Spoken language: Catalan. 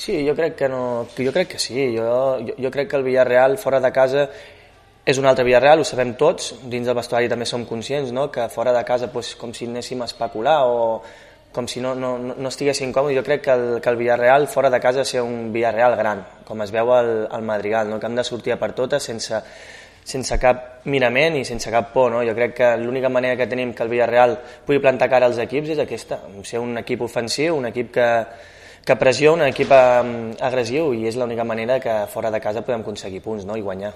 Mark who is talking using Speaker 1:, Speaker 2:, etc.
Speaker 1: Sí, jo crec que no, jo crec que sí, jo crec que el Villarreal fora de casa és un altre Villarreal, ho sabem tots, dins del vestuari també som conscients, no? Que fora de casa doncs, com si anéssim a especular o com si no estiguéssim còmodes. Jo crec que el Villarreal fora de casa és un Villarreal gran, com es veu al Madrigal, no? Que hem de sortir a per totes sense cap mirament i sense cap por, no? Jo crec que l'única manera que tenim que el Villarreal pugui plantar cara als equips és aquesta, ser un equip ofensiu, un equip que pressiona, un equip agressiu, i és l'única manera que fora de casa podem aconseguir punts, no? I guanyar.